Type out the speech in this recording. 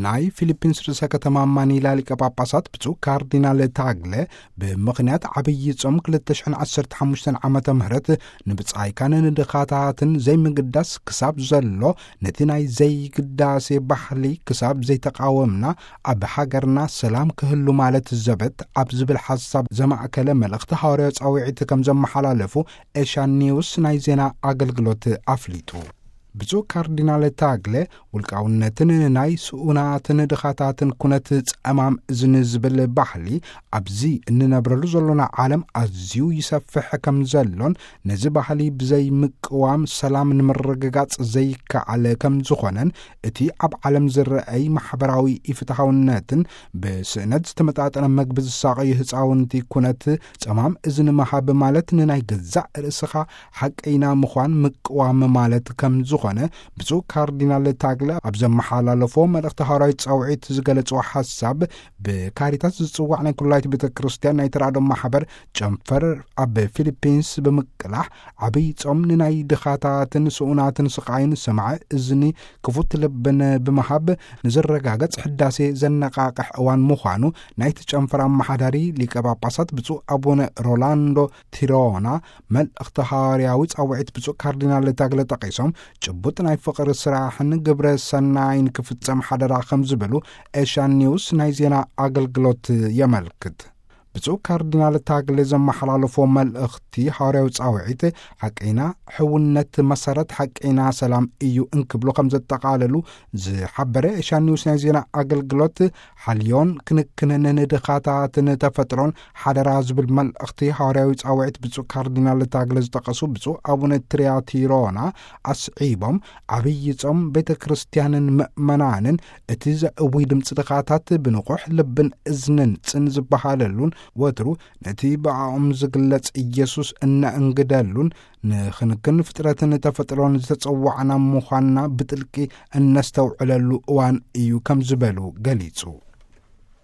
ናይ ፊሊፒንስ ርእሰ ከተማ ማኒላ ሊቀ ጳጳሳት ብፁዕ ካርዲናል ታግለ፣ ብምኽንያት ዓብዪ ጾም ክልተ ሽሕን ዓሰርተ ሓሙሽተን ዓመተ ምህረት ንብጻይካን ንድኻታትን ዘይምግዳስ ክሳብ ዘሎ፣ ነቲ ናይ ዘይግዳሴ ባህሊ ክሳብ ዘይተቃወምና፣ ኣብ ሃገርና ሰላም ክህሉ ማለት ዘበት ኣብ ዝብል ሓሳብ ዘማእከለ መልእኽቲ ሃዋርያዊ ጻውዒት ከም ዘመሓላለፉ ኤሻ ኒውስ ናይ ዜና ኣገልግሎት ኣፍሊጡ። ብፁዕ ካርዲናል ታግለ፣ ውልቃውነትን ናይ ስኡናትን ድኻታትን ኩነት ጸማም እዝኒ ዝብል ባህሊ ኣብዚ እንነብረሉ ዘሎና ዓለም ኣዝዩ ይሰፍሕ ከም ዘሎን፣ ነዚ ባህሊ ብዘይ ምቅዋም ሰላም ንምርግጋጽ ዘይከኣል ከም ዝኾነን፣ እቲ ኣብ ዓለም ዝረኣይ ማሕበራዊ ኢፍትሓውነትን ብስእነት ዝተመጣጠነ መግቢ ዝሳቐዩ ህፃውንቲ ኩነት ጸማም እዝኒ ምሃብ ማለት ንናይ ገዛእ ርእስኻ ሓቀይና ምዃን ምቅዋም ማለት ከም ዝኾነ ብፁዕ ካርዲናል ታግለ ኣብ ዘመሓላለፎ መልእኽቲ ሃዋርያዊ ጻውዒት ዝገለጽዎ ሓሳብ፣ ብካሪታስ ዝጽዋዕ ናይ ኩላይት ቤተ ክርስቲያን ናይ ተራድኦ ማሕበር ጨንፈር ኣብ ፊሊፒንስ ብምቅላሕ፣ ዓብይ ጾም ንናይ ድኻታትን ስኡናትን ስቓይን ሰማዒ እዝኒ ክፉት ልብን ብምሃብ ንዝረጋገጽ ሕዳሴ ዘነቃቅሕ እዋን ምዃኑ ናይቲ ጨንፈር ኣመሓዳሪ ሊቀ ጳጳሳት ብፁዕ ኣቡነ ሮላንዶ ቲሮና መልእኽቲ ሃዋርያዊ ጻውዒት ብፁዕ ካርዲናል ታግለ ጠቒሶም፣ ጭቡጥ ናይ ፍቕሪ ስራሕን ግብረ ሰናይን ክፍጸም ሓደራ ከም ዝበሉ ኤሻ ኒውስ ናይ ዜና ኣገልግሎት የመልክት። ብፁዕ ካርዲናል ታግለ ዘመሓላለፎ መልእኽቲ ሃዋርያዊ ጻውዒት፣ ሓቀይና ሕውነት መሰረት ሓቀይና ሰላም እዩ እንክብሉ ከም ዘጠቓለሉ ዝሓበረ ኤሻ ኒውስ ናይ ዜና ኣገልግሎት፣ ሓልዮን ክንክንን ንድኻታትን ተፈጥሮን ሓደራ ዝብል መልእኽቲ ሃዋርያዊ ጻውዒት ብፁዕ ካርዲናል ታግለ ዝጠቐሱ ብፁዕ ኣቡነ ትሪያቲሮና ኣስዒቦም፣ ዓብዪ ጾም ቤተ ክርስቲያንን ምእመናንን እቲ ዘእዊ ድምፂ ድኻታት ብንቑሕ ልብን እዝንን ጽን ዝበሃለሉን፣ ወትሩ ነቲ ብኣኦም ዝግለጽ ኢየሱስ እነእንግደሉን፣ ንክንክን ፍጥረትን ተፈጥሮን ዝተጸዋዕና ምዃንና ብጥልቂ እነስተውዕለሉ እዋን እዩ ከም ዝበሉ ገሊጹ።